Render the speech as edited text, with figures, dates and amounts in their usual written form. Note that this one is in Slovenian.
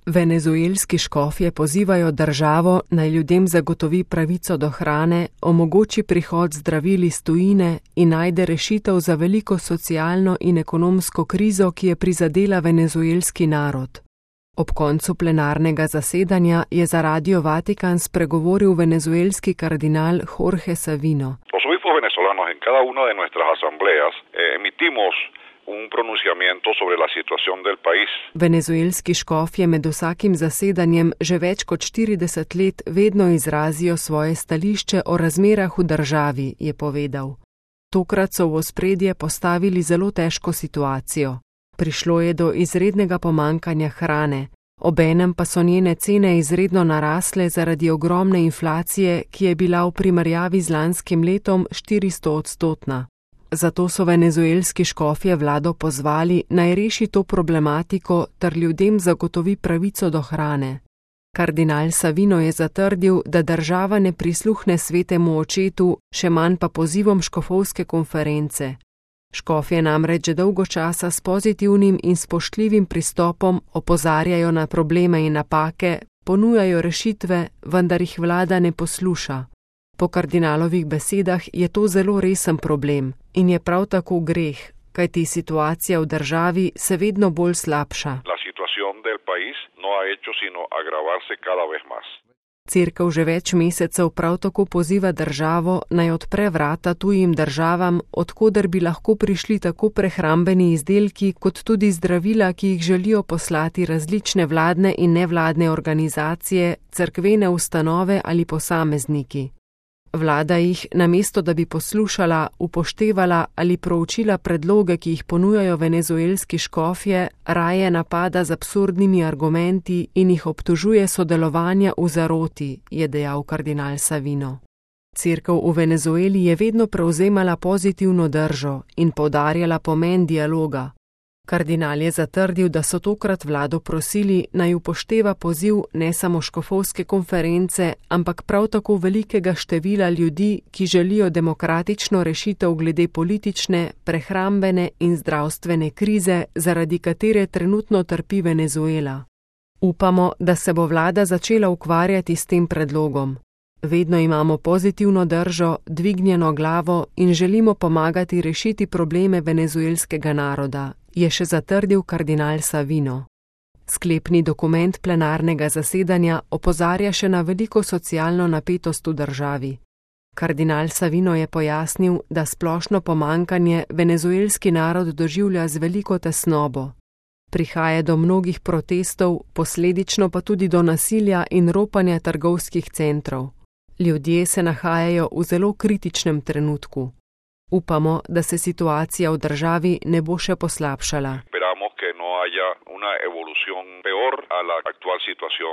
Venezuelski škofje pozivajo državo, naj ljudem zagotovi pravico do hrane, omogoči prihod zdravil iz tujine in najde rešitev za veliko socialno in ekonomsko krizo, ki je prizadela venezuelski narod. Ob koncu plenarnega zasedanja je za Radio Vatikan spregovoril venezuelski kardinal Jorge Savino. Los obispos venezolanos en cada una de nuestras asambleas emitimos un pronunciamiento sobre la situación del país. Venezuelski škofje med vsakim zasedanjem že več kot 40 let vedno izrazijo svoje stališče o razmerah v državi, je povedal. Tokrat so v ospredje postavili zelo težko situacijo. Prišlo je do izrednega pomanjkanja hrane, obenem pa so njene cene izredno narasle zaradi ogromne inflacije, ki je bila v primerjavi z lanskim letom 400-odstotna. Zato so venezuelski škofje vlado pozvali, naj reši to problematiko ter ljudem zagotovi pravico do hrane. Kardinal Savino je zatrdil, da država ne prisluhne svetemu očetu, še manj pa pozivom škofovske konference. Škofje namreč že dolgo časa s pozitivnim in spoštljivim pristopom opozarjajo na probleme in napake, ponujajo rešitve, vendar jih vlada ne posluša. Po kardinalovih besedah je to zelo resen problem in je prav tako greh, kajti situacija v državi se vedno bolj slabša. La situación del país no ha hecho sino agravarse cada vez más. Cerkev že več mesecev prav tako poziva državo, naj odpre vrata tujim državam, odkoder bi lahko prišli tako prehrambeni izdelki, kot tudi zdravila, ki jih želijo poslati različne vladne in nevladne organizacije, cerkvene ustanove ali posamezniki. Vlada jih, namesto da bi poslušala, upoštevala ali proučila predloge, ki jih ponujajo venezuelski škofje, raje napada z absurdnimi argumenti in jih obtožuje sodelovanja v zaroti, je dejal kardinal Savino. Cerkev v Venezueli je vedno prevzemala pozitivno držo in poudarjala pomen dialoga. Kardinal je zatrdil, da so tokrat vlado prosili, naj upošteva poziv ne samo škofovske konference, ampak prav tako velikega števila ljudi, ki želijo demokratično rešitev glede politične, prehrambene in zdravstvene krize, zaradi katere trenutno trpi Venezuela. Upamo, da se bo vlada začela ukvarjati s tem predlogom. Vedno imamo pozitivno držo, dvignjeno glavo in želimo pomagati rešiti probleme venezuelskega naroda, je še zatrdil kardinal Savino. Sklepni dokument plenarnega zasedanja opozarja še na veliko socialno napetost v državi. Kardinal Savino je pojasnil, da splošno pomanjkanje venezuelski narod doživlja z veliko tesnobo. Prihaja do mnogih protestov, posledično pa tudi do nasilja in ropanja trgovskih centrov. Ljudje se nahajajo v zelo kritičnem trenutku. Upamo, da se situacija v državi ne bo še poslabšala. Esperamos que no haya una evolución peor a la actual situación.